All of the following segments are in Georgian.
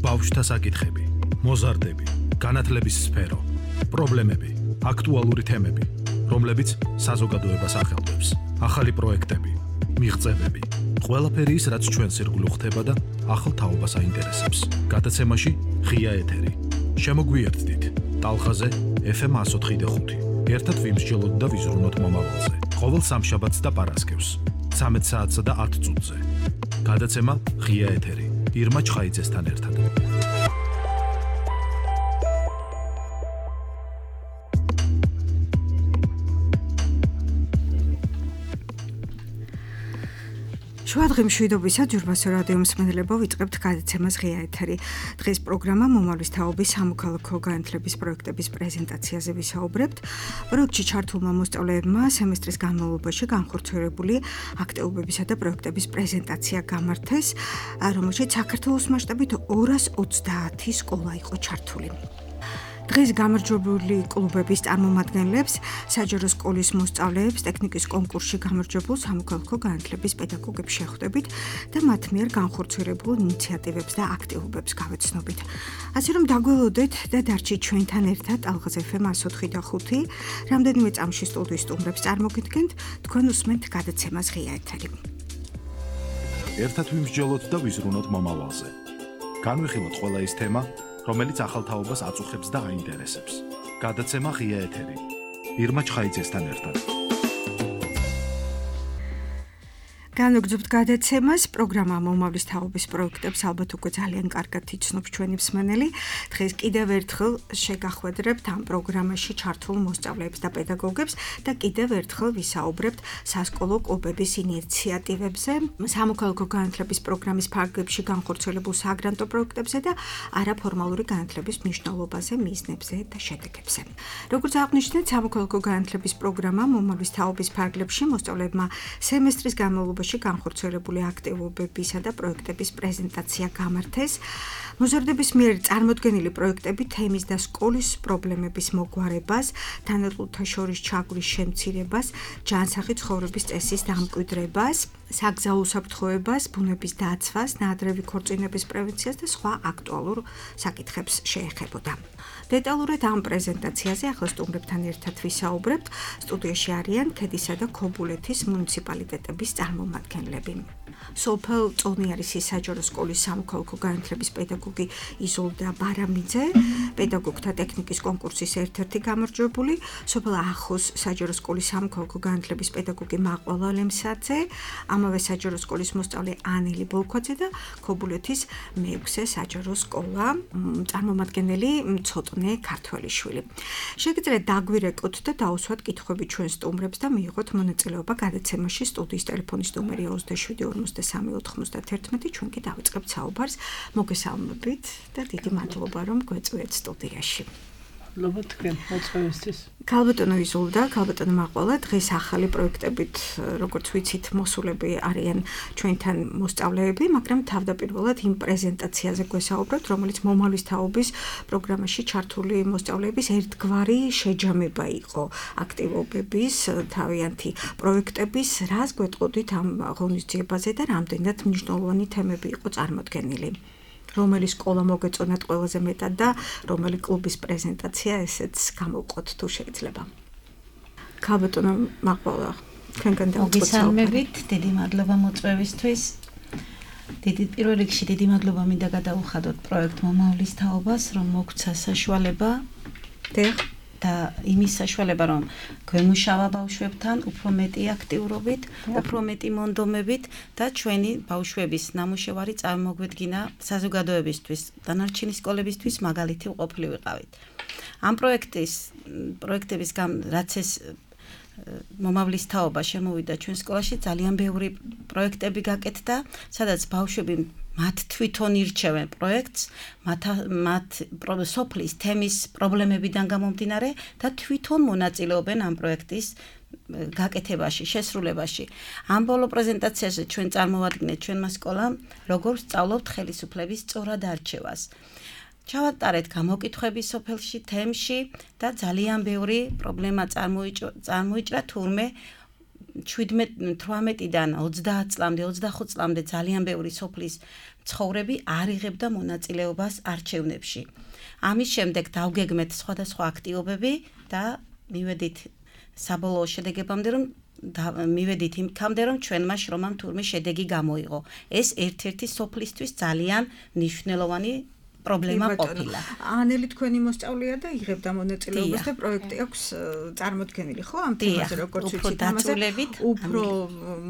ბავშვთა საკითხები, მოზარდები, განათლების სფერო, პრობლემები, აქტუალური თემები, რომლებიც საზოგადოებას ახელვებს, ახალი პროექტები, მიღწევები, ყველაფერი ის, რაც ჩვენს ირგვლივ ხდება და ახალ თაობას აინტერესებს. გადაცემაში ღია ეთერი. შემოგვიერთდით ტალღაზე FM 104.5. ერთად ვიმსჯელოთ და ვიზრუნოთ მომავალზე. ყოველ სამშაბათს და პარასკევს 13 საათსა და 10 წუთზე. გადაცემა ღია ეთერი. ირმა ჩხაიძესთან ერთად. შუადღე მშვიდობისა ჯურბასო რადიო მსმენელებო ვიწყებთ გადაცემას ღია ეთერი. დღეს პროგრამა მომავლის თაობის სამოქალაქო განათლების პროექტების პრეზენტაციაზე ვისაუბრებთ. პროექტში ჩართულმა მოსწავლეებმა სემესტრის განმავლობაში განხორციელებული აქტივობებისა და პროექტების პრეზენტაცია გამართეს, რომელშიც საქართველოს მასშტაბით 230 სკოლა იყო ჩართული. დღეს გამარჯვებული კლუბების წარმომადგენლებს, საჯარო სკოლის მოსწავლეებს, ტექნიკის კონკურსში გამარჯვებულ სამოქალაქო განათლების პედაგოგებს შეხვდებით და მათ მიერ განხორციელებულ ინიციატივებს და აქტივობებს გავეცნობით. ასე რომ დაგველოდეთ და დარჩით ჩვენთან ერთად ტალღაზე FM 104.5. რამდენიმე წამში სტუდიის სტუმრებს წარმოგიდგენთ, თქვენ უსმენთ გადაცემას ღია ეთერი. ერთად ვიმსჯელოთ და ვიზრუნოთ მომავალზე. განვიხილოთ ყველა ის თემა, რომელიც ახალ თაობას აწუხებს და აინტერესებს. გადაცემა ღია ეთერი. ირმა ჩხაიძესთან ერთად. განვაგრძობთ გადაცემას. პროგრამა მომავლის თაობის პროექტებს ალბათ უკვე ძალიან კარგად იცნობს ჩვენი მსმენელი. დღეს კიდევ ერთხელ შეგახვედრებთ ამ პროგრამაში ჩართულ მოსწავლეებს და პედაგოგებს და კიდევ ერთხელ ვისაუბრებთ სასკოლო კლუბების ინიციატივებზე, სამოქალაქო განათლების პროგრამის ფარგლებში განხორციელებულ საგრანტო პროექტებზე და არაფორმალური განათლების მნიშვნელობაზე, მიზნებზე და შედეგებზე. როგორც აღნიშნეთ, სამოქალაქო განათლების პროგრამა მომავლის თაობის ფარგლებში მოსწავლეებმა სემესტრის განმავლობაში განხორციელებული აქტივობებისა და პროექტების პრეზენტაცია გამართეს. მოზარდების მიერ წარმოდგენილი პროექტები თემის და სკოლის პრობლემების მოგვარებას, თანატოლთა შორის ჩაგვრის შემცირებას, ჯანსაღი ცხოვრების წესის დამკვიდრებას, საგზაო უსაფრთხოებას, ბუნების დაცვას, ნაადრევი ქორწინების პრევენციას და სხვა აქტუალურ საკითხებს შეეხებოდა. დეტალურად ამ პრეზენტაციაზე ახლა სტუმრებთან ერთად ვისაუბრებთ. სტუდიაში არიან ქედისა და ქობულეთის მუნიციპალიტეტების წარმომადგენლები. სოფელ წონიარისის საჯარო სკოლის სამოქალაქო განათლების პედაგოგი იზოლდა ბარამიძე, პედაგოგთა ტექნიკის კონკურსის ერთ-ერთი გამარჯვებული, სოფელ ახოს საჯარო სკოლის სამოქალაქო განათლების პედაგოგი მაყვალა ლემსაძე, ამავე საჯარო სკოლის მოსწავლე ანელი ბოლქვაძე და ქობულეთის მეექვსე საჯარო სკოლა წარმომადგენელი ცოტნე ქართველიშვილი. შეგიძლიათ დაგვირეკოთ და დაუსვათ კითხვები ჩვენ სტუმრებს და მიიღოთ მონაწილეობა გადაცემაში. სტუდიის ტელეფონის ნომერი 27-294-91. ჩვენ კი დავიწყებთ საუბარს. მოგესალმებით და დიდი მადლობა რომ გვეწვიეთ სტუდიაში. მადლობა თქვენ მოწვევისთვის. ქალბატონო იზოლდა, ქალბატონო მაყვალა, დღეს ახალი პროექტებით, როგორც ვიცით, მოსულები არიან ჩვენთან მოსწავლეები, მაგრამ თავდაპირველად იმ პრეზენტაციაზე გვესაუბრებთ, რომელიც მომავლის თაობის პროგრამაში ჩართული მოსწავლეების ერთგვარი შეჯამება იყო აქტივობების, თავიანთი პროექტების, რას გვეტყოდით ამ ღონისძიებაზე და რამდენად მნიშვნელოვანი თემები იყო წარმოდგენილი. რომელი სკოლა მოგეწონათ ყველაზე მეტად და რომელი კლუბის პრეზენტაცია ესეც გამოვყოთ თუ შეიძლება. ქალბატონო მაყვალა, თქვენგან დავიწყოთ საუბარი. დიდი მადლობა მოწვევისთვის. პირველ რიგში დიდი მადლობა მინდა გადაუხადოთ პროექტ მომავლის თაობას, რომ მოგცა საშუალება და იმის საშუალება, რომ გვემუშავა ბავშვებთან უფრო მეტი აქტიურობით, უფრო მეტი მონდომებით და ჩვენი ბავშვების ნამუშევარი წარმოგვედგინა საზოგადოებისთვის, დანარჩენი სკოლებისთვის მაგალითი ყოფილი ვიყავით. ამ პროექტებისგან რაც ეს მომავლის თაობა შემოვიდა ჩვენ სკოლაში, ძალიან ბევრი პროექტები გაკეთდა, სადაც ბავშვები მათ თვითონ ირჩევენ პროექტს, მათ სოფლის თემის პრობლემებიდან გამომდინარე და თვითონ მონაწილეობენ ამ პროექტის გაკეთებაში, შესრულებაში. ამ ბოლო პრეზენტაციაზე ჩვენ წარმოვადგინეთ ჩვენმა სკოლამ, როგორ სწავლობთ ხელისუფლების სწორად არჩევას. ჩავატარეთ გამოკითხვები სოფელში, თემში და ძალიან ბევრი პრობლემა წარმოიჭრა, თურმე 17-18-დან 30 წლამდე, 25 წლამდე ძალიან ბევრი სოფლის მცხოვრები არ იღებდა მონაწილეობას არჩევნებში. ამის შემდეგ დავგეგმეთ სხვადასხვა აქტივობები და მივედით საბოლოო შედეგებამდე, რომ მივედით იმქამდე, რომ ჩვენმა შრომამ თურმე შედეგი გამოიღო. ეს ერთ-ერთი სოფლისთვის ძალიან მნიშვნელოვანი პრობლემა ყოფილა. ანელი თქვენი მოსწავლეა და იღებდა მონაწილეობას და პროექტი აქვს წარმოქმნილი, ხო? ამ თემაზე როგორც ვიცით, ამაზე უფრო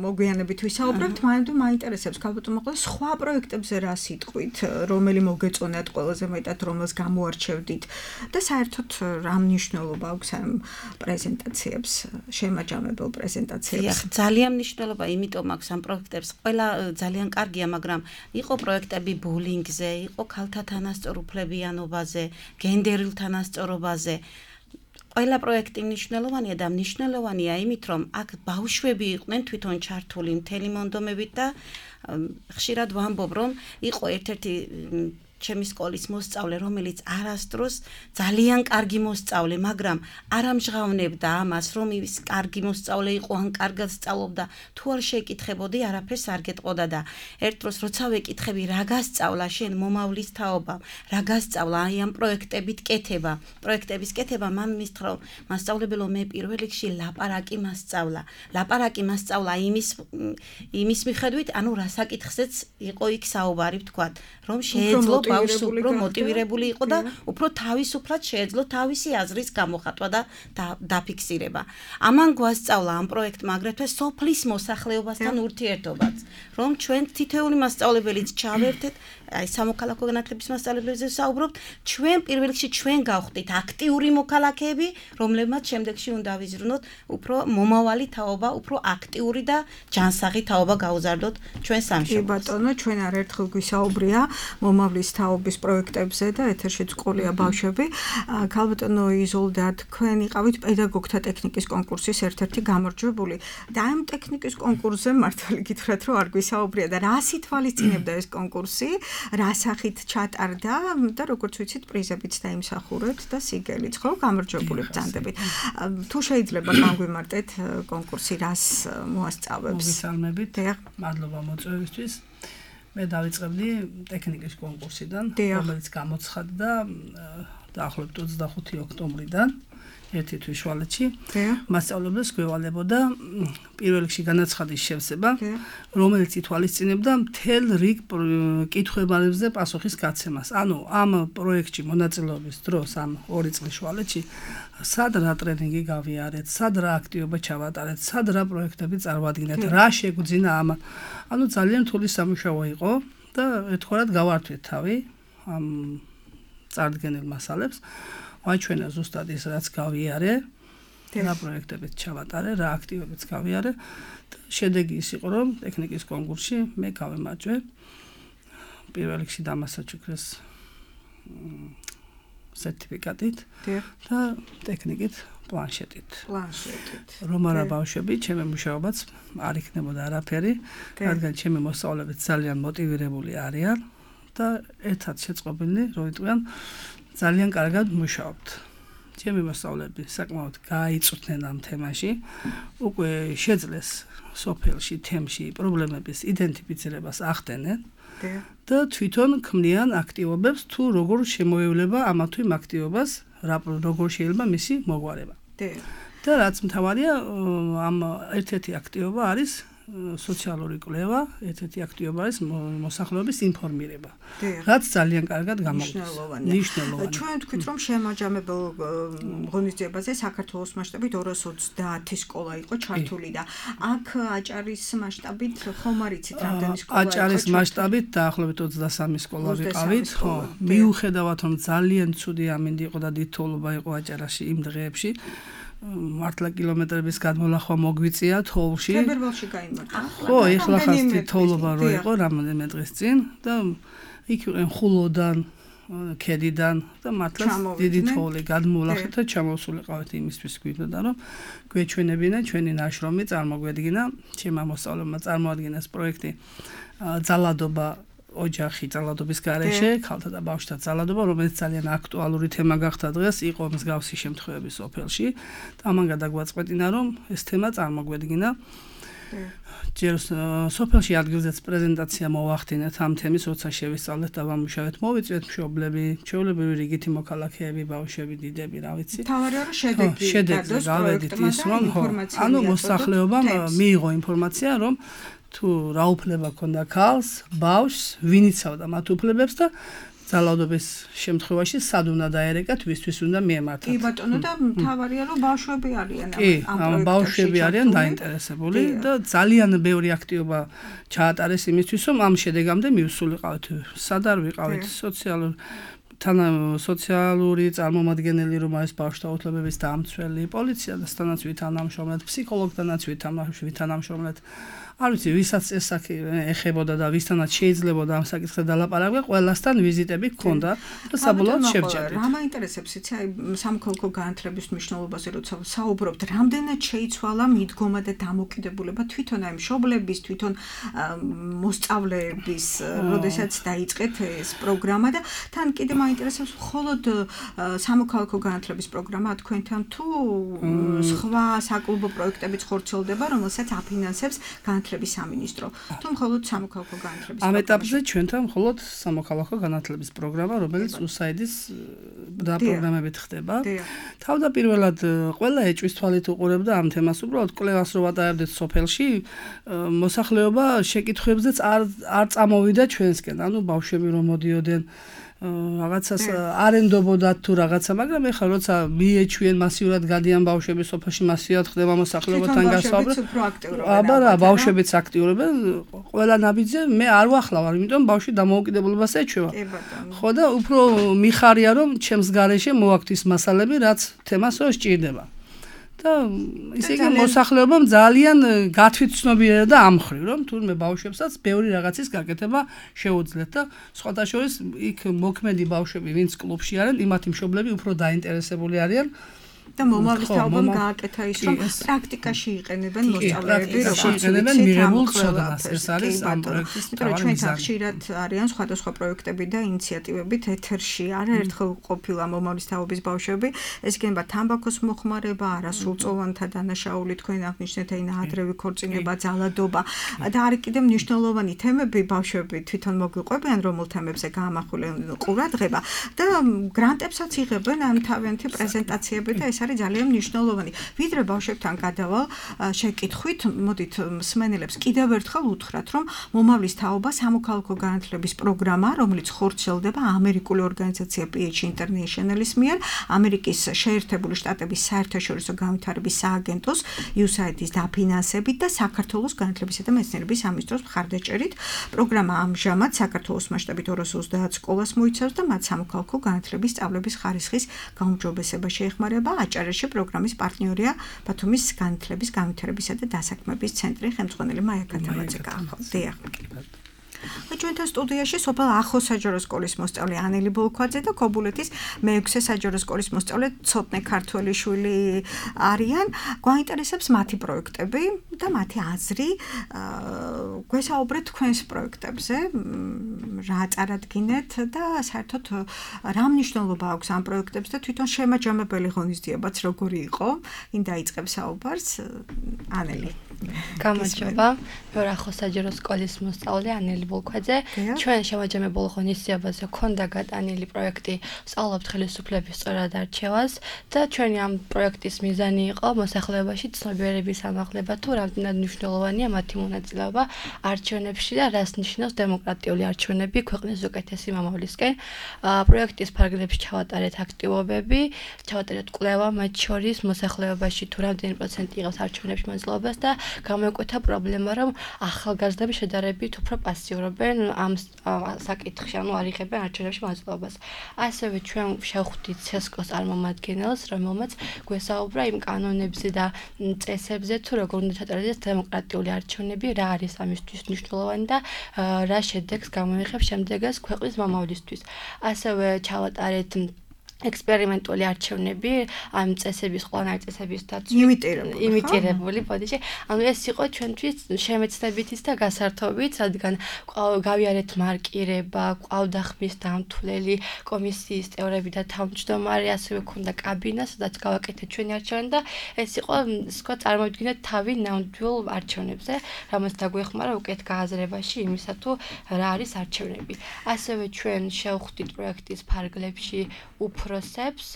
მოგვიანებით ვისაუბრებთ, მაგრამ მაინტერესებს ქალბატონო მოყოლ სხვა პროექტებზე რა სიტყვით, რომელი მოგეწონათ ყველაზე მეტად, რომელს გამოარჩევდით და საერთოდ რა მნიშვნელობა აქვს ამ პრეზენტაციებს, შემაჯამებელ პრეზენტაციებს? ძალიან მნიშვნელობა იმიტომ აქვს ამ პროექტებს. ყველა ძალიან კარგია, მაგრამ იყო პროექტები ბულინგზე, იყო ქალთა თანასწორუფლებიანობაზე, გენდერულ თანასწორობაზე. ყველა პროექტი მნიშვნელოვანია და მნიშვნელოვანია იმით, რომ აქ ბავშვები იყვნენ თვითონ ჩართული მთელი მონდომებით და ხშირად ვამბობ, რომ იყო ერთ-ერთი ჩემი სკოლის მოსწავლე, რომელიც არასდროს ძალიან კარგი მოსწავლე, მაგრამ არ ამჟღავნებდა ამას, რომ ის კარგი მოსწავლე იყო, ან კარგად სწავლობდა, თუ არ შეეკითხებოდი, არაფერს არ გეტყოდა და ერთ დროს როცა ვეკითხები, რა გასწავლა შენ მომავლის თაობა, რა გასწავლა აი ამ პროექტებით კეთება, პროექტების კეთება, მან მისთხრა, მასწავლებელო, მე პირველ რიგში ლაპარაკი მასწავლა. ლაპარაკი მასწავლა იმის მიხედვით, ანუ რასაკითხზეც იყო იქ საუბარი, ვთქვათ, რომ შეეძლო ბავშვს უფრო მოტივირებული იყო და უფრო თავისუფლად შეეძლო თავისი აზრის გამოხატვა და დაფიქსირება. ამან გვასწავლა ამ პროექტმა აგრეთვე სოფლის მოსახლეობასთან ურთიერთობაც, რომ ჩვენ თითოეული მასწავლებელიც ჩავერთეთ, აი სამოქალაქო განათლების მასწავლებლებზე ვსაუბრობთ, ჩვენ პირველ რიგში ჩვენ გავხდით აქტიური მოქალაქეები, რომლებმაც შემდეგში უნდა ვიზრუნოთ უფრო მომავალი თაობა, უფრო აქტიური და ჯანსაღი თაობა გაუზარდოთ ჩვენ სამშობლოში. კი ბატონო, ჩვენ არაერთხელ გვისაუბრია მომავლის თაობის პროექტებზე და ეთერშიც ყოლია ბავშვები. ქალბატონო იზოლდა, თქვენ იყავით პედაგოგთა ტექნიკის კონკურსის ერთ-ერთი გამარჯვებული და ამ ტექნიკის კონკურსზე მართალი გითხრათ, რომ არ გვისაუბრია და რა სითვალისწინებდა ეს კონკურსი, რა სახით ჩატარდა და როგორც ვიცით, პრიზებიც დაიმსახურეთ და სიგელიც, ხო, გამარჯვებული ბრძანდებით. თუ შეიძლება განგვიმარტეთ კონკურსი რას მოასწავებს? მოგესალმებით. მადლობა მოწვევისთვის. მე დავიწყებდი ტექნიკის კონკურსიდან, რომელიც გამოცხადდა დაახლოებით 25 ოქტომბრიდან. ერთი თვის შუალედში მასწავლებლებს გვევალებოდა პირველ რიგში განაცხადის შევსება, რომელიც ითვალისწინებდა მთელ რიგ კითხვებზე პასუხის გაცემას. ანუ ამ პროექტში მონაწილეობის დროს ამ 2 წლის შუალედში სად რა ტრენინგი გავიარეთ, სად რა აქტივობა ჩავატარეთ, სად რა პროექტები წარვადგინეთ, რა შეგვძინა ამ. ანუ ძალიან რთული სამუშაო იყო და ეთქორად გავართვით თავი ამ წარდგენილ მასალებს. ვაჩვენა ზუსტად ის რაც გავიარე, რა პროექტებიც ჩავატარე, რა აქტივებიც გავიარე და შედეგი ის იყო, რომ ტექნიკის კონკურსში მე გავემარჯვე. პირველ რიგში დამასაჩუქრეს სერტიფიკატით და ტექნიკით პლანშეტით. რომ არა ბავშვები, ჩემი მუშაობაც არ იქნებოდა არაფერი, რადგან ჩემი მოსწავლეებიც ძალიან მოტივირებული არიან და ერთად შეწყობილნი, რომ იტყვიან ძალიან კარგად მუშაობთ. ჩემი მოსწავლეები საკმაოდ გაიწვნენ ამ თემაში, უკვე შეძლეს სოფელში, თემში პრობლემების იდენტიფიცირებას ახდენენ და თვითონ ქმნიან აქტივობებს, თუ როგორ შემოევლება ამა თუ იმ აქტივობას, როგორ შეიძლება მისი მოგვარება. და რაც მთავარია, ამ ერთ-ერთი აქტივობა არის სოციალური კვლევა, ერთ-ერთი აქტივობა არის მოსახლეობის ინფორმირება. რაც ძალიან კარგად გამოგვდის. მნიშვნელოვანია. ჩვენ ვთქვით, რომ შემაჯამებელ ღონისძიებაზე საქართველოს მასშტაბით 230 სკოლა იყო ჩართული და აქ აჭარის მასშტაბით ხომ არ იცით რამდენი სკოლა იყო? აჭარის მასშტაბით დაახლოებით 23 სკოლა ვიყავით, ხო. მიუხედავად რომ ძალიან ცუდი ამინდი იყო და დიდთოვლობა იყო აჭარაში იმ დღეებში, მართლა კილომეტრების გადმოლახვა მოგვიწია თოვლში. თებერვალში გაიმართა. ხო, ეხლა ხას თოვლობა რო იყო რამოდენიმე დღის წინ და იქ იყვნენ ხულოდან, ქედიდან და მართლა დიდი თოვლი გადმოლახეთ და ჩამოვსულიყავით იმისთვის გვინდოდა რომ გვეჩვენებინა ჩვენი ნაშრომი წარმოგვედგინა, ჩემმა მოსწავლეებმა წარმოადგინეს პროექტი ძალადობა ოჯახი ძალადობის გარეშე, ქალთა და ბავშვთა ძალადობა, რომელიც ძალიან აქტუალური თემა გახდა დღეს, იყო მსგავსი შემთხვევები სოფელში. და ამან გადაგვაწყვეტინა, რომ ეს თემა წარმოგვედგინა. ჯერ სოფელში ადგილზეც პრეზენტაცია მოვახდინეთ ამ თემის, როცა შევისწავლეთ და ვამუშავეთ, მოვიწვიეთ მშობლები, ჩვეულებრივი რიგითი მოქალაქეები, ბავშვები, დიდები, რა ვიცი. თავარია რომ შედეგზე გავედით ის, რომ ანუ მოსახლეობამ მიიღო ინფორმაცია, რომ თუ რა უფლება ქონდა ქალს, ბავშვს, ვინ იცავდა მათ უფლებებს და ძალადობის შემთხვევაში სად უნდა დაერეკათ, ვისთვის უნდა მიემართათ. კი ბატონო და თავარია რომ ბავშვები არიან ამ პროექტში. ბავშვები არიან დაინტერესებული და ძალიან ბევრი აქტივობა ჩაატარეს იმისთვის, რომ ამ შედეგამდე მივსულიყავთ. სად არ ვიყავით სოციალური წარმომადგენელი, რომ არის ბავშვთა უფლებების დამცველი, პოლიცია და თანაც ვითანამშრომლეთ, ფსიქოლოგთანაც ვითანამშრომლეთ. არ ვიცი, ვისაც ეს საკითხი ეხებოდა და ვისთანაც შეიძლებოდა ამ საკითხზე დალაპარაკება, ყველასთან ვიზიტები გქონდა და საბოლოოდ შევჭერდით. რა მაინტერესებს, იცი, აი სამოქალაქო განათლების მნიშვნელობაზე როცა საუბრობთ, რამდენად შეიცვალა მიდგომა და დამოკიდებულება თვითონ აი მშობლების, თვითონ მოსწავლეების, როდესაც დაიწყეთ ეს პროგრამა და თან კიდე მაინტერესებს მხოლოდ სამოქალაქო განათლების პროგრამა თქვენთან თუ სხვა საკლუბო პროექტებიც ხორციელდება, რომელსაც აფინანსებს განათლების სამინისტრო. თუ მხოლოდ სამოქალაქო განათლების ამ ეტაპზე ჩვენთან მხოლოდ სამოქალაქო განათლების პროგრამა, რომელიც USAID-ის დაპროგრამებით ხდება. თავდაპირველად ყველა ეჭვის თვალით უყურებდა ამ თემას, უბრალოდ კვლევას რო ვატარებდით სოფელში, მოსახლეობა შეკითხვებზეც არ წამოვიდა ჩვენსკენ, ანუ ბავშვები რომ მოდიოდნენ რაღაცას არენდობოდათ თუ რაღაცა, მაგრამ ეხლა როცა მიეჩვიან მასიურად გადიან ბავშვები სოფელში, მასიურად ხდება მოსახლეობასთან გასაუბრება. აბა რა, ბავშვებიც აქტიურობენ, ყველა ნაბიჯზე მე არ ვახლავარ, იმიტომ ბავშვი დამოუკიდებლობას ეჩვევა. ხო და უფრო მიხარია რომ ჩემს გარეშე მოვაქვთ ის მასალები, რაც თემას რო სჭირდება. და ისე იგი მოსახლეობამ ძალიან გათვითცნობიერა და ამხრივ, რომ თურმე ბავშვებსაც ბევრი რაღაცის გაკეთება შეუძლიათ და სხვათა შორის იქ მოქმედი ბავშვები, ვინც კლუბში არიან, იმათი მშობლები უფრო დაინტერესებული არიან და მომავლის თაობამ გააკეთა ის, რომ პრაქტიკაში იყენებენ მოსწავლეები, როგორც იყენებენ მიღებულ ცოდნას. ეს არის ამ პროექტის მთავარი მიზანი. ხშირად არიან სხვადასხვა პროექტები და ინიციატივებით ეთერში. არაერთხელ ყოფილა მომავლის თაობის ბავშვები, ეს იქნება თამბაქოს მოხმარება, არასრულწლოვანთა დანაშაული, თქვენ აღნიშნეთ ადრევი ქორწინება, ძალადობა და არის კიდევ მნიშვნელოვანი თემები, ბავშვები თვითონ მოგვიყვებიან, რომელ თემებზე გაამახვილენ ყურადღება და გრანტებსაც იღებენ ამ თავიანთი პრეზენტაციები და ეს არის ძალიან მნიშვნელოვანი. ვიდრე ბავშვებთან გადავალ შეკითხვით, მოდით მსმენელებს კიდევ ერთხელ უთხრათ, რომ მომავლის თაობა სამოქალაქო განათლების პროგრამა, რომელიც ხორციელდება ამერიკული ორგანიზაცია PH International-ის მიერ, ამერიკის შეერთებული შტატების საერთაშორისო განვითარების სააგენტოს USAID-ის დაფინანსებით და საქართველოს განათლებისა და მეცნიერების სამინისტროს მხარდაჭერით. პროგრამა ამჟამად საქართველოს მასშტაბით 230 სკოლას მოიცავს და მათ სამოქალაქო განათლების სწავლების ხარისხის გაუმჯობესება შეეხმარება. აჭარაში პროგრამის პარტნიორია ბათუმის განათლების, განვითარებისა და დასაქმების ცენტრი, ხელმძღვანელი მაია კათაბაძე გაახალდია. ჩვენთან სტუდიაში სოფელ ახო საჯარო სკოლის მოსწავლე ანელი ბოლქვაძე და ქობულეთის მე-6 საჯარო სკოლის მოსწავლე ცოტნე ქართველიშვილი არიან. გვაინტერესებს მათი პროექტები და მათი აზრი. გვესაუბრეთ თქვენს პროექტებზე, რა წარადგინეთ და საერთოდ რა მნიშვნელობა აქვს ამ პროექტებს და თვითონ შემაჯამებელი ღონისძიებაც როგორი იყო. ვინ დაიწყებს საუბარს? ანელი. გამარჯობა. მე ახო საჯარო სკოლის მოსწავლე ანელი ბოლქვაძე. ჩვენ შემაჯამებულ ღონისძიებაზე ქონდა გატანილი პროექტი სწავლობთ ხელისუფლების სწორად არჩევას და ჩვენი ამ პროექტის მიზანი იყო მოსახლეობაში ცნობიერების ამაღლება თუ რამდენად მნიშვნელოვანია მათი მონაწილეობა არჩევნებში და რას ნიშნავს დემოკრატიული არჩევნები ქვეყნის უკეთესი მომავლისკენ. პროექტის ფარგლებში ჩავატარეთ აქტივობები, ჩავატარეთ კვლევა მათ შორის მოსახლეობაში თუ რამდენი პროცენტი იღებს არჩევნებში მონაწილეობას და გამოიკვეთა პრობლემა, რომ ახალგაზრდები შედარებით უფრო პასიურობენ ამ საკითხში, ანუ არ იღებენ არჩევნებში მონაწილეობას. ასევე ჩვენ შევხვდით CESCO-ს წარმომადგენელს, რომელმაც გვესაუბრა იმ კანონებზე და წესებზე, თუ როგორ უნდა ჩატარდეს დემოკრატიული არჩევნები, რა არის ამისთვის მნიშვნელოვანი და რა შედეგს გამოიღებს შემდეგაც ქვეყნის მომავლისთვის. ასევე ჩავატარეთ ექსპერიმენტული არჩევნები ამ წესების ყველანაირი წესების იმიტირებული ბოდიში. ანუ ეს იყო ჩვენთვის შემეცნებითიც და გასართობიც, რადგან გავიარეთ მარკირება, ყავდა ხმის დამთვლელი კომისიის წევრები და თავმჯდომარე, ასევე ქონდა კაბინა, სადაც გავაკეთეთ ჩვენი არჩევანი და ეს იყო, სხვა წარმოვიდგინეთ თავი ნამდვილ არჩევნებზე, რომელიც დაგვეხმარა უკეთ გააზრებაში იმისა თუ რა არის არჩევნები. ასევე ჩვენ შევხვდით პროექტის ფარგლებში უფროსებს,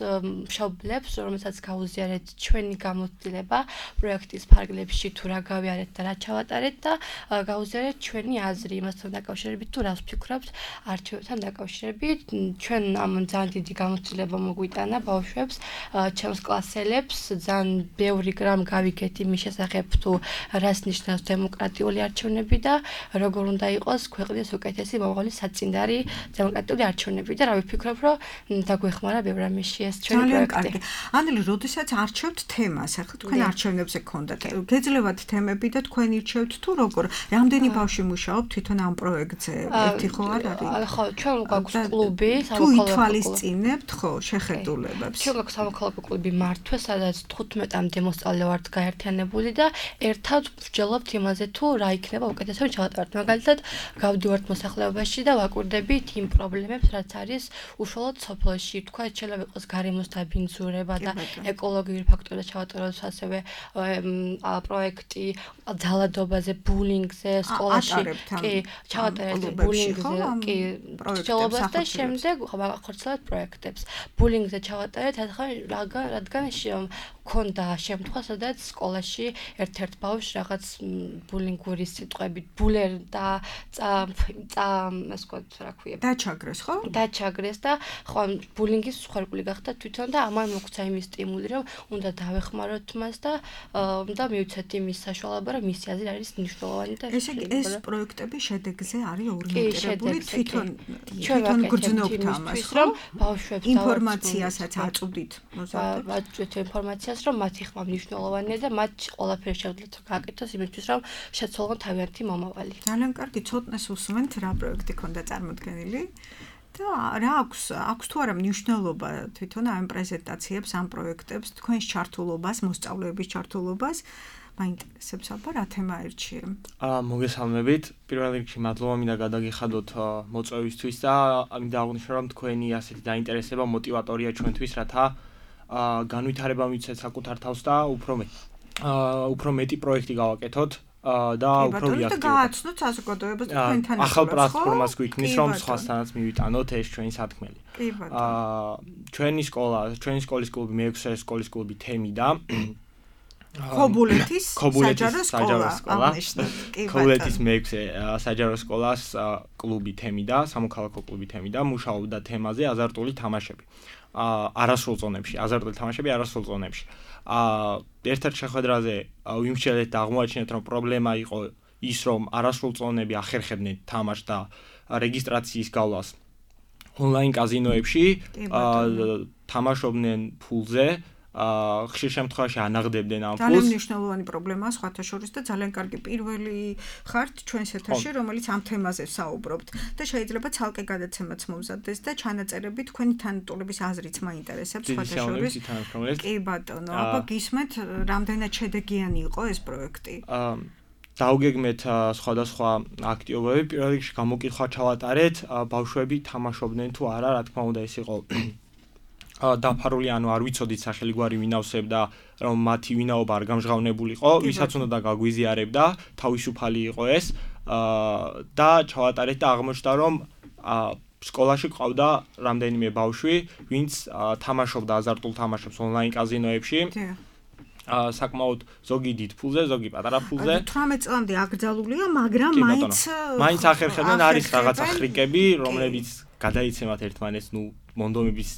მშობლებს, რომელსაც გაუზიარეთ ჩვენი გამოცდილება პროექტის ფარგლებში თუ რა გავიარეთ და რა ჩავატარეთ და გაუზიარეთ ჩვენი აზრი იმასთან დაკავშირებით თუ რას ვფიქრობთ არჩევნებთან დაკავშირებით. ჩვენ ამ ძალიან დიდი გამოცდილება მოგვიტანა ბავშვებს, ჩემს კლასელებს, ძალიან ბევრი რამ გავიგეთ იმის შესახებ თუ რას ნიშნავს დემოკრატიული არჩევნები და როგორ უნდა იყოს ქვეყნის უკეთესი მომავალი საწინდარი დემოკრატიული არჩევნები და რა ვფიქრობ, რომ დაგვეხმარა ბევრ რამეში ეს ჩვენი პროექტი. ანელი, როდესაც არჩევთ თემას, ახლა თქვენ არჩევნებზე გქონდათ, გეძლებათ თემები და თქვენ ირჩევთ თუ როგორ? რამდენი ბავშვი მუშაობთ თვითონ ამ პროექტზე? ერთი ხო არ არის? ხო, ჩვენ გვაქვს კლუბი, თუ ითვალისწინებთ ხო შეხედულებებს. ჩვენ გვაქვს სამოქალაქო კლუბი მართვე, სადაც 15-მდე მოსწავლე ვართ გაერთიანებული და ერთად ვსჯელობთ იმაზე თუ რა იქნება უკეთესად ჩავატაროთ. მაგალითად, გავდივართ მოსახლეობაში და ვაკვირდებით იმ პრობლემებს, რაც არის უშუალოდ სოფელში. თქვა შეიძლება იყოს გარემოს დაბინძურება და ეკოლოგიური ფაქტორები ჩავატაროთ, ასევე პროექტი ძალადობაზე, ბულინგზე სკოლაში. კი, ჩავატარეთ ბულინგზე, კი, მსჯელობას და შემდეგ ვახორციელებთ პროექტებს. ბულინგზე ჩავატარეთ, რადგან ქონდა შემთხვევა, სადაც სკოლაში ერთ-ერთ ბავშვს რაღაც ბულინგური სიტყვებით ბულერ და ეს ვთქვათ, რა ქვია? დაჩაგრეს, ხო? დაჩაგრეს და ხო ბულინგის მსხვერპლი გახდა თვითონ და ამან მოგვცა იმის სტიმული, რომ უნდა დავეხმაროთ მას და უნდა მივცეთ იმის საშუალება, რომ მისი აზრი არის მნიშვნელოვანი და ესე იგი ეს პროექტები შედეგზე არის ორიენტირებული თვითონ გრძნობთ ამას, რომ ბავშვებს ინფორმაციასაც აწვდით მოზარდებს. ვაწვდით ინფორმაციას, რომ მათი ხმა მნიშვნელოვანია და მათ ყველაფერი შეუძლიათ გააკეთოს იმისთვის, რომ შეცვალონ თავიანთი მომავალი. ძალიან კარგი, ცოტნეს უსმენთ რა პროექტი ქონდა წარმოდგენილი. და რა აქვს თუ არა მნიშვნელობა თვითონ ამ პრეზენტაციებს, ამ პროექტებს, თქვენს ჩართულობას, მოსწავლეების ჩართულობას, მაინტერესებს აბა რა თემა ერჩიე? მოგესალმებით. პირველ რიგში მადლობა მინდა გადაგიხადოთ მოწვევისთვის და მინდა აღვნიშნო, რომ თქვენი ასეთი დაინტერესება მოტივატორია ჩვენთვის, რათა განვითარება მივცეთ საკუთარ თავს და უფრო მეტი პროექტი გავაკეთოთ. და უფრო ვიაქტიუროთ. გააცნოთ საზოგადოებას თქვენთან ახალ პლატფორმას გვიქმნის, რომ სხვასთანაც მივიტანოთ ეს ჩვენი სათქმელი. ჩვენი სკოლის კლუბი მე-6 სკოლის კლუბი თემი და ქობულეთის საჯარო სკოლა. ქობულეთის მე-6 საჯარო სკოლას კლუბი თემი და სამოქალაქო კლუბი თემი და მუშაობდა თემაზე აზარტული თამაშები. არასრულ ზონებში, აზარტული თამაშები არასრულ ზონებში. ერთ-ერთ შეხვედრაზე ვიმსჯელეთ და აღმოაჩინეთ, რომ პრობლემა იყო ის, რომ არასრულ ზონები ახერხებდნენ თამაშს და რეგისტრაციის გავლას ონლაინ კაზინოებში, თამაშობდნენ ფულზე, ხშირ შემთხვევაში ანაღდებდნენ ამ ფულს. ძალიან მნიშვნელოვანი პრობლემაა სხვათა შორის და ძალიან კარგი პირველი ხართ ჩვენს ეთერში, რომელიც ამ თემაზე საუბრობთ და შეიძლება ცალკე გადაცემაც მომზადდეს და ჩანაწერები თქვენი თანატოლების აზრიც მაინტერესებს სხვათა შორის. კი ბატონო, აბა გისმენთ, რამდენად შედეგიანი იყო ეს პროექტი? დაუგეგმეთ სხვადასხვა აქტივობები. პირველ რიგში გამოკითხვა ჩავატარეთ, ბავშვები თამაშობდნენ თუ არა, რა თქმა უნდა ეს იყო დაფარული, ანუ არ ვიცოდით სახელიგვარი ვინავსებდა, რომ მათი ვინაობა არ გამჟღავნებულიყო, ვისაც უნდა გაგვიზიარებდა, თავისუფალი იყო ეს და ჩავატარეთ და აღმოჩნდა, რომ სკოლაში ყავდა რამდენიმე ბავშვი, ვინც თამაშობდა აზარტულ თამაშებს ონლაინ კაზინოებში. საკმაოდ ზოგი დიდ ფულზე, ზოგი პატარა ფულზე. 18 წლამდე აკრძალულია, მაგრამ მაინც ახერხებდნენ, არის რაღაცა ხრიკები, რომლებიც გადაიცემათ ერთმანეთს, მონდომების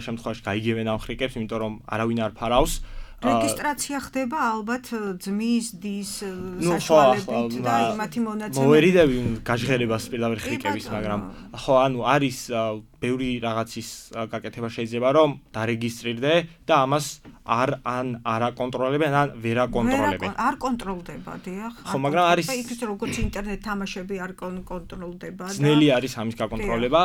შემთხვევაში გაიგებენ ამ ხრიკებს, იმიტომ რომ არავინ არ ფარავს. რეგისტრაცია ხდება ალბათ ძმის, დის საშუალებით და იმათი მონაცემები. მოვერიდები გაჟღერებას პირდაპირ ხრიკების, მაგრამ ხო, ანუ არის ბევრი რაღაცის გაკეთება შეიძლება, რომ დარეგისტრირდე და ამას არ აკონტროლებენ, ან ვერ აკონტროლებენ. არ კონტროლდება, დიახ. ხო, მაგრამ არის იქ როგორც ინტერნეტ თამაშები არ კონტროლდება და ძნელი არის ამის გაკონტროლება.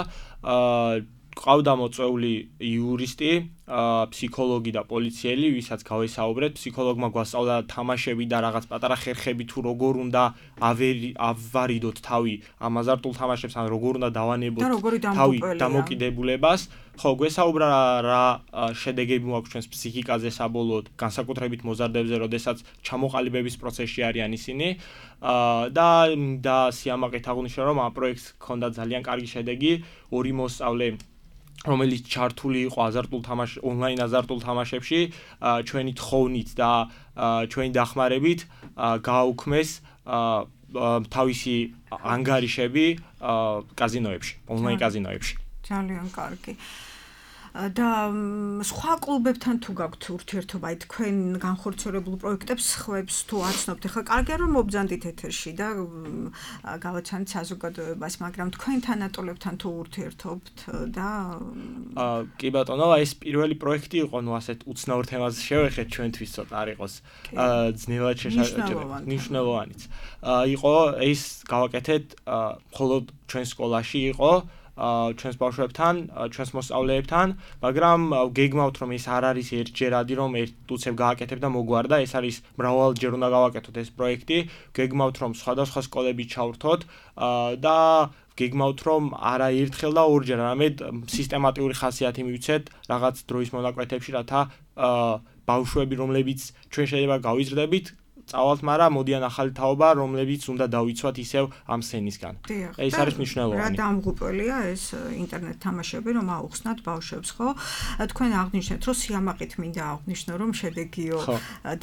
ყავდა მოწვეული იურისტი, ფსიქოლოგი და პოლიციელი, ვისაც გავესაუბრეთ. ფსიქოლოგმა გვასწავლა თამაშები და რაღაც პატარა ხერხები თუ როგორ უნდა ავარიდოთ თავი ამ აზარტულ თამაშებს, ან როგორ უნდა დავანებოთ თავი დამოკიდებულებას. ხო, გვესაუბრა რა შედეგები მოაქვს ჩვენს ფსიქიკაზე საბოლოოდ, განსაკუთრებით მოზარდებზე, როდესაც ჩამოყალიბების პროცესში არიან ისინი. და სიამაყით აღნიშნა, რომ ამ პროექტს ჰქონდა ძალიან კარგი შედეგი, 2 მოსწავლე რომელიც ჩართული იყო ონლაინ აზარტულ თამაშებში, ჩვენი თხოვნით და ჩვენი დახმარებით გააუქმეს თავისი ანგარიშები კაზინოებში, ონლაინ კაზინოებში. ძალიან კარგი. და სხვა კლუბებთან თუ გაქვთ ურთიერთობა, აი თქვენ განხორციელებულ პროექტებს ხვებს თუ აცნობთ, ხა კარგია რომ მობრძანდით ეთერში და გავაცანით საზოგადოებას, მაგრამ თქვენ თანატოლებთან თუ ურთიერთობთ და კი ბატონო, ეს პირველი პროექტი იყო, ნუ ასეთ უცნაურ თემაზე შევეხეთ ჩვენთვის ცოტა არ იყოს ძნელად მნიშვნელოვანიც. იყო ეს გავაკეთეთ მხოლოდ ჩვენ სკოლაში იყო ჩვენს ბავშვებთან, ჩვენს მოსწავლეებთან, მაგრამ გეგმავთ რომ ეს არ არის ერთჯერადი რომ ერთ უცებ გააკეთებ და მოგვარდა, ეს არის მრავალჯერ უნდა გავაკეთოთ ეს პროექტი, გეგმავთ რომ სხვადასხვა სკოლები ჩავრთოთ და გეგმავთ რომ არა ერთხელ და ორჯერ, არამედ სისტემატიური ხასიათი მივცეთ რაღაც დროის მონაკვეთებში, რათა ბავშვები რომლებიც ჩვენ შეიძლება გავიზრდებით წავალთ, მაგრამ მოდიან ახალი თაობა, რომლებიც უნდა დავიცვათ ისევ ამ სცენისგან. ეს არის მნიშვნელოვანი. რა დამღუპველია ეს ინტერნეტ თამაშები, რომ აუხსნათ ბავშვებს, ხო? თქვენ აღნიშნეთ, რომ სიამაყით მინდა აღვნიშნო, რომ შედეგიო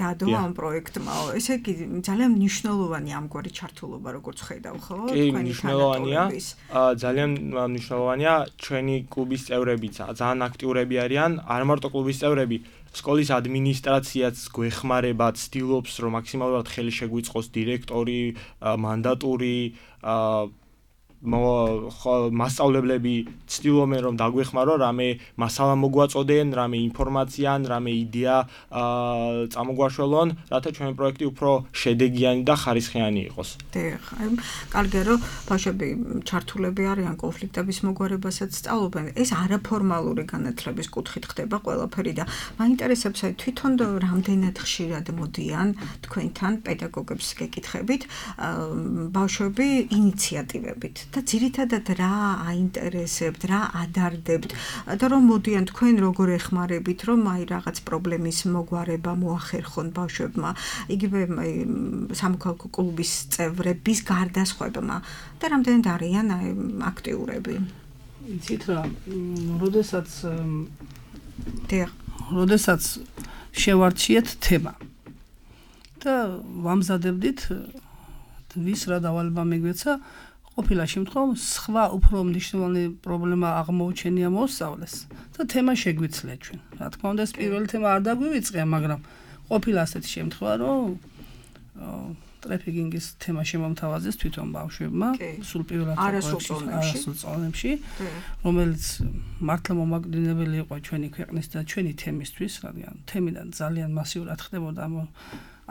დადო ამ პროექტმა. ესე იგი, ძალიან მნიშვნელოვანი ამგვარი ჩართულობა, როგორც ხედავ, ხო? თქვენი მნიშვნელოვანია. ძალიან მნიშვნელოვანია ჩვენი კლუბის წევრებიც, ძალიან აქტიურები არიან, არ მარტო კლუბის წევრები, სკოლის ადმინისტრაციაც გვეხმარება, ცდილობს რომ მაქსიმალურად ხელი შეგვიწყოს დირექტორი, მანდატური, მასწავლებლები ცდილობენ რომ დაგვეხმარო, რამე მასალა მოგვაწოდენ, რამე ინფორმაცია, რამე იდეა წამოგვაშველონ, რათა ჩვენი პროექტი უფრო შედეგიანი და ხარისხიანი იყოს. დიახ, კარგია რომ ბავშვები ჩართულები არიან კონფლიქტების მოგვარებასაც სწავლობენ. ეს არაფორმალური განათლების კუთხით ხდება ყველაფერი და მაინტერესებს აი თვითონ რამდენად ხშირად მოდიან თქვენთან პედაგოგებს გეკითხებით ბავშვები ინიციატივებით. და ძირითადად რა აინტერესებთ, რა ადარდებთ და რომ მოდიან თქვენ როგორ ეხმარებით, რომ აი რაღაც პრობლემის მოგვარება მოახერხონ ბავშვებმა, იგივე სამოქალაქო კლუბის წევრების გარდასხვებმა და რამდენად არიან აქტიურები. იცით რა, როდესაც შევარჩიეთ თემა და ვამზადებდით ვის რა დავალება მიგვეცა, ყოფილა შემთხვევაში სხვა უფრო მნიშვნელოვანი პრობლემა აღმოუჩენია მოსწავლეს და თემა შეგვიძლია ჩვენ. რა თქმა უნდა, ეს პირველი თემა არ დაგვივიწყია, მაგრამ ყოფილა ასეთი შემთხვევა, რომ ტრაფიკინგის თემა შემომთავაზეს თვითონ ბავშვებმა, სულ პირველად არასრულ წონებში, რომელიც მართლა მომაკვდინებელი იყო ჩვენი ქვეყნის და ჩვენი თემისთვის, რადგან თემიდან ძალიან მასიურად ხდებოდა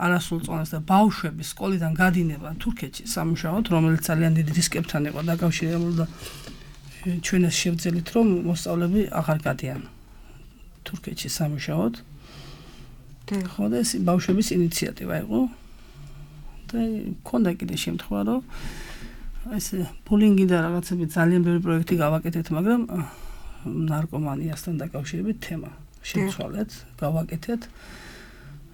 არასრულ წონას და ბავშვების სკოლიდან გადინება თურქეთში სამუშაოდ, რომელიც ძალიან დიდი რისკებთან იყო დაკავშირებული და ჩვენ ეს შევძელით, რომ მოსწავლეები აღარ გადიან თურქეთში სამუშაოდ. ხო, და ეს ბავშვების ინიციატივა იყო. და ქონდა კიდე შემთხვევა, რომ ეს ბულინგი და რაღაცები ძალიან ბევრი პროექტი გავაკეთეთ, მაგრამ ნარკომანიასთან დაკავშირებით თემა შევცვალეთ, გავაკეთეთ.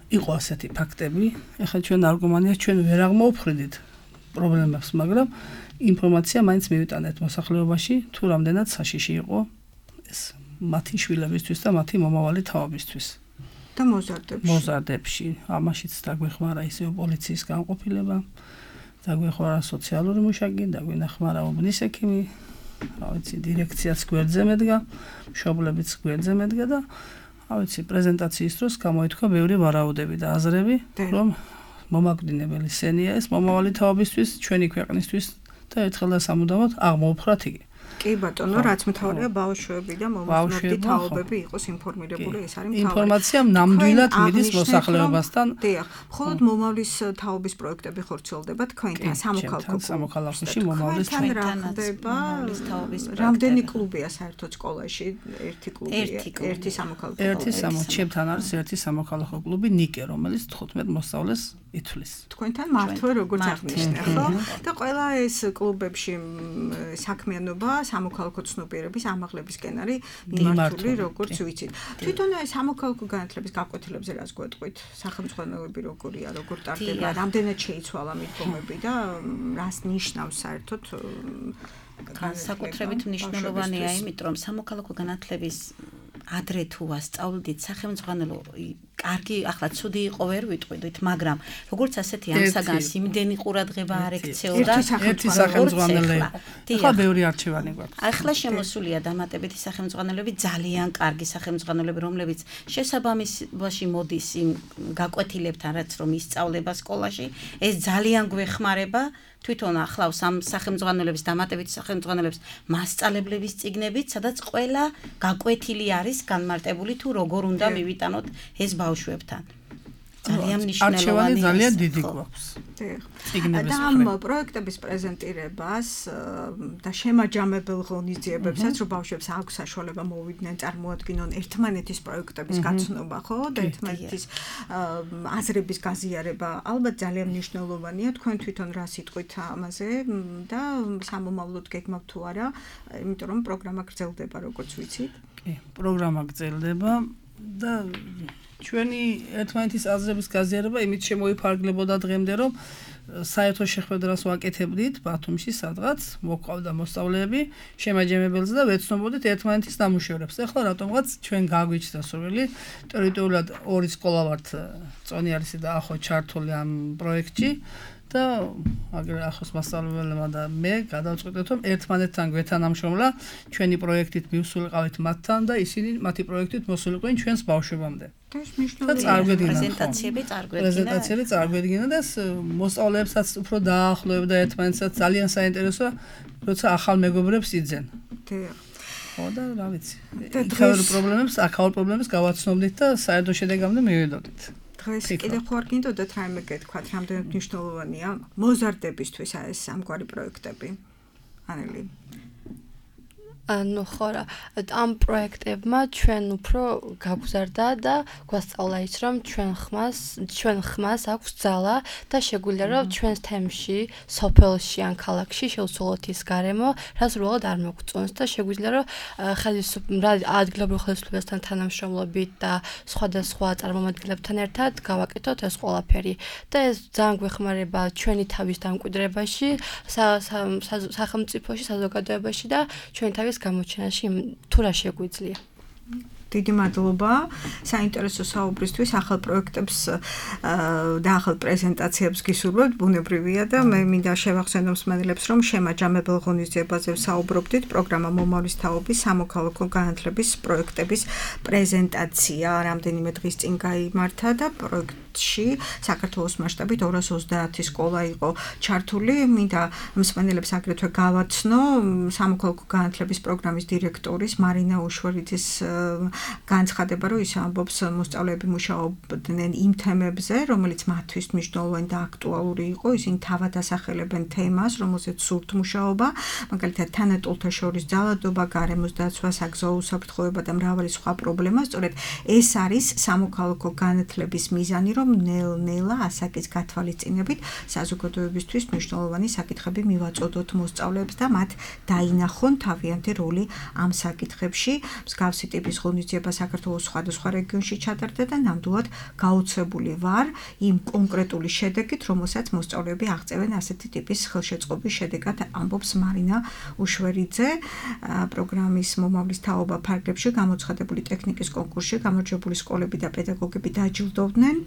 იყო ასეთი ფაქტები. ეხლა ჩვენ ნარკომანიას ჩვენ ვერ აღმოვფრინდით პრობლემებს, მაგრამ ინფორმაცია მაინც მივიტანეთ მოსახლეობაში, თუ რამდენად საშიში იყო ეს მათი შვილებისთვის და მათი მომავალი თაობისთვის. და მოზარდებში. ამაშიც დაგვეხმარა ისევ პოლიციის განყოფილება, დაგვეხმარა სოციალური მუშაკი, დაგვენახმარა უბნის ექიმი, რა ვიცი, დირექციაც გვერდზე მედგა, მშობლებიც გვერდზე მედგა და ავიცი პრეზენტაციის დროს გამოითქვა ბევრი ვარაუდები და აზრები, რომ მომაკვდინებელი სცენია ეს მომავალი თაობისთვის, ჩვენი ქვეყნისთვის და ერთხელ და სამუდამოდ აღმოვფრათ იგი. კი ბატონო, რაც მთავარია ბავშვები და მომხმარებელთა თაობები იყოს ინფორმირებული, ეს არის მთავარი. ინფორმაცია ნამდვილად მიდის მოსახლეობასთან. დიახ, მხოლოდ მომავლის თაობის პროექტები ხორციელდება თქვენთან სამოქალაქოში მომავლის ხდება. რამდენი კლუბია საერთოდ სკოლაში? ერთი კლუბია, ერთი სამოქალაქო კლუბი. ჩემთან არის ერთი სამოქალაქო კლუბი ნიკე, რომელიც 15 მოსწავლეს ითვლის. თქვენთან მართლა როგორც აღნიშნე, ხო? და ყველა ეს კლუბებში საქმიანობა სამოქალაქო ცნობიერების ამაღლებისკენ არის მიმართული, როგორც ვიცით. თვითონ ეს სამოქალაქო განათლების გაკვეთილებზე რას გვეტყვით? სახელმწიფოები როგორია, როგორ ტარდება, რამდენად შეიცვალა მიდგომები და რას ნიშნავს საერთოდ განსაკუთრებით მნიშვნელოვანია, იმიტომ რომ სამოქალაქო განათლების ადრე თუ ასწავლდით სახელმწიფო კარგი, ახლა ცუდი იყო ვერ ვიტყვით, მაგრამ როგორც ასეთი ამსაგანს იმდენი ყურადღება არ ექცეოდა ერთი სახელმწიფოები. ახლა ბევრი არჩევანი გვაქვს. ახლა შემოსულია დამატებითი სახელმწიფოები, ძალიან კარგი სახელმწიფოები, რომლებიც შესაბამისობაში მოდის იმ გაკვეთილებთან, რაც რომ ისწავლება სკოლაში, ეს ძალიან გვეხმარება. თვითონ ახლავს ამ სახელმწიფოების დამატებითი სახელმწიფოების მასწავლებლების წიგნებით, სადაც ყველა გაკვეთილი არის განმარტებული თუ როგორ უნდა მივიტანოთ ეს ბავშვებთან. ძალიან მნიშვნელოვანია. ძალიან დიდი გვაქვს. და ამ პროექტების პრეზენტირებას და შემაჯამებელ ღონისძიებებსაც რომ ბავშვებს აქვს საშუალება მოვიდნენ, წარმოადგინონ ერთმანეთის პროექტების გაცნობა, ხო? და ერთმანეთის აზრების გაზიარება ალბათ ძალიან მნიშვნელოვანია. თქვენ თვითონ რა სიტყვით ამაზე და სამომავლოდ გეგმავთ თუ არა, იმიტომ რომ პროგრამა გრძელდება, როგორც ვიცით. კი, პროგრამა გრძელდება და ჩვენი ერთმანეთის აზრების გაზიარება იმით შემოიფარგლებოდა დღემდე, რომ საერთო შეხვედრას ვაკეთებდით ბათუმში, სადღაც მოყვავდა მოსწავლეები შემაჯამებელზე და ვეცნობოდით ერთმანეთის ნამუშევრებს. ეხლა რატომღაც ჩვენ გაგვიჩნდა სურვილი, ტერიტორიულად ორი სკოლა ვართ, წონიარისი და ახო ჩართული ამ პროექტში. და აგერ ახოს მასწავლებელმა და მე გადავწყვეტეთ, რომ ერთმანეთთან გვეთანამშრომლა, ჩვენი პროექტით მივსულიყავით მათთან და ისინი მათი პროექტით მოსულიყვნენ ჩვენს ბავშვებამდე. და პრეზენტაციები წარგვედგინა და მოსწავლეებსაც უფრო დაახლოებდა ერთმანეთსაც, ძალიან საინტერესოა, როცა ახალ მეგობრებს იძენ. ხო და რა ვიცი. აქაურ პრობლემებს გავაცნობდით და საერთო შედეგამდე მივედოდით. დღეს კიდევ ხوار გინდოდათ რაიმე გეთქვათ, რამდენად მნიშვნელოვანია მოზარდებისთვის ეს ამგვარი პროექტები? ანელი. ანუ ხო რა, ამ პროექტებმა ჩვენ უფრო გაგვზარდა და გვასწავლა ის, რომ ჩვენ ხმას აქვს ძალა და შეგვიძლია რომ ჩვენს თემში, სოფელში ან ქალაქში შევცვალოთ ის გარემო, რაც უბრალოდ არ მოგწონს და შეგვიძლია რომ ადგილობრივ ხელისუფლებასთან თანამშრომლობით და სხვადასხვა წარმომადგენლებთან ერთად გავაკეთოთ ეს ყველაფერი. და ეს ძალიან გვეხმარება ჩვენი თავის დამკვიდრებაში, სახელმწიფოში, საზოგადოებაში და ჩვენი თავის გამოჩენაში თუ რა შეგვიძლია. დიდი მადლობა საინტერესო საუბრისთვის, ახალ პროექტებს და ახალ პრეზენტაციებს გისურვებთ, ბუნებრივია და მე მინდა შევახსენო მსმენელებს, რომ შემაჯამებელ ღონისძიებაზე ვსაუბრობდით, პროგრამა მომავლის თაობის სამოქალაქო განათლების პროექტების პრეზენტაცია რამდენიმე დღის წინ გაიმართა და პროექტში საქართველოს მასშტაბით 230 სკოლა იყო ჩართული. მინდა მსმენელებს აგრეთვე გავაცნო სამოქალაქო განათლების პროგრამის დირექტორის მარინა უშვერიძის განცხადება, რომ ის ამბობს მოსწავლეები მუშაობდნენ იმ თემებზე, რომელიც მათთვის მნიშვნელოვანი და აქტუალური იყო. ისინი თავად ასახელებენ თემას, რომელზეც სურთ მუშაობა, მაგალითად თანატოლთა შორის ძალადობა, გარემოს დაცვა, საგზაო უსაფრთხოება და მრავალი სხვა პრობლემა. სწორედ ეს არის სამოქალაქო განათლების მიზანი, რომ ნელ-ნელა ასაკის გათვალისწინებით საზოგადოებისთვის მნიშვნელოვანი საკითხები მივაწოდოთ მოსწავლეებს და მათ დაინახონ თავიანთი როლი ამ საკითხებში. მსგავსი ტიპის ღონისძიება საქართველოს სხვადასხვა რეგიონში ჩატარდა და ნამდვილად გაოცებული ვარ იმ კონკრეტული შედეგით, რომელსაც მოსწავლეები აღწევენ ასეთი ტიპის ხელშეწყობის შედეგად, ამბობს მარინა უშვერიძე. პროგრამის მომავლის თაობა ფარგლებში გამოცხადებული ტექნიკის კონკურსში გამარჯვებული სკოლები და პედაგოგები დაჯილდოვდნენ.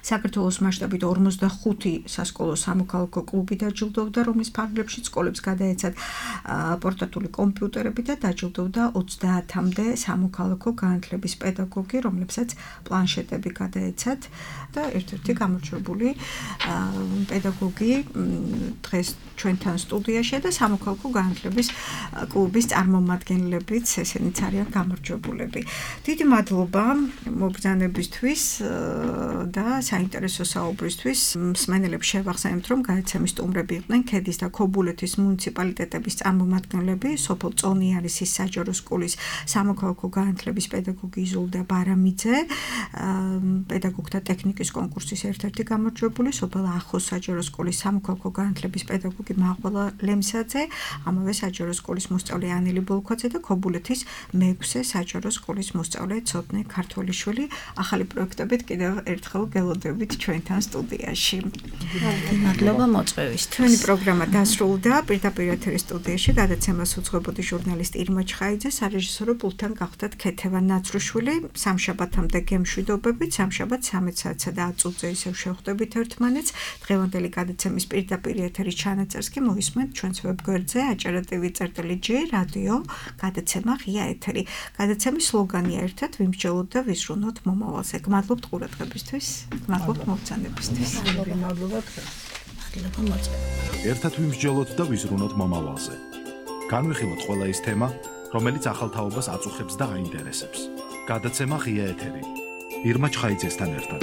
საქართველოს მასშტაბით 45 სასკოლო სამოქალაქო კლუბი დაჯილდოვდა, რომლის ფარგლებში სკოლებს გადაეცათ პორტატული კომპიუტერები და დაჯილდოვდა 30-მდე სამოქალაქო განათლების პედაგოგი, რომლებსაც პლანშეტები გადაეცათ და ერთ-ერთი გამორჩეული პედაგოგი დღეს ჩვენთან სტუდიაში და სამოქალაქო განათლების კლუბის წარმომადგენლებიც ესენიც არიან გამარჯვებულები. დიდი მადლობა მობრძანებისთვის და საინტერესო საუბრისთვის. მსმენელებს შევახსენებთ, რომ გადაცემის სტუმრები იყვნენ ქედის და ქობულეთის მუნიციპალიტეტების წარმომადგენლები, სოფელ წონიარისის საჯარო სკოლის სამოქალაქო განათლების პედაგოგი იზოლდა ბარამიძე, პედაგოგთა ტექნიკის კონკურსის ერთ-ერთი გამარჯვებული, სოფელ ახოს საჯარო სკოლის სამოქალაქო განათლების პედაგოგი მაყვალა ლემსაძე, ამავე საჯარო სკოლის მოსწავლე ანელი ბოლქვაძე და ქობულეთის მეექვსე საჯარო სკოლის მოსწავლე ცოტნე ქართოლიშვილი. ახალი პროექტებით კიდევ ერთხელ გელოდებით ჩვენთან სტუდიაში. მადლობა მოწვევისთვის. ჩვენი პროგრამა დასრულდა. პირდაპირ ეთერის სტუდიაში გადაცემას უძღვებოდი ჟურნალისტი ირმა ჩხაიძე, სარეჟისორო პულტთან გახდათ ქეთევა ნაცრუშვილი. სამშაბათამდე გემშვიდობებით, სამშაბათ 13 საათსა და 10 წუთზე ისევ შევხვდებით ერთმანეთს. დღევანდელი გადაცემის პირდაპირ ეთერის ჩანაწერს კი მოისმენთ ჩვენს ვებგვერდზე acara.tv/g რადიო გადაცემა ღია ეთერი. გადაცემის სლოგანია ერთად ვიმსჯელოთ და ვიზრუნოთ მომავალზე. გმადლობთ ყურადღებისთვის, გმადლობთ მოგზაურობისთვის. მადლობა თქვენ. მადლობა მოწვევისთვის. ერთად ვიმსჯელოთ და ვიზრუნოთ მომავალზე. განვიხილოთ ყველა ის თემა, რომელიც ახალ თაობას აწუხებს და აინტერესებს. გადაცემა ღია ეთერი. ირმა ჩხაიძესთან ერთად.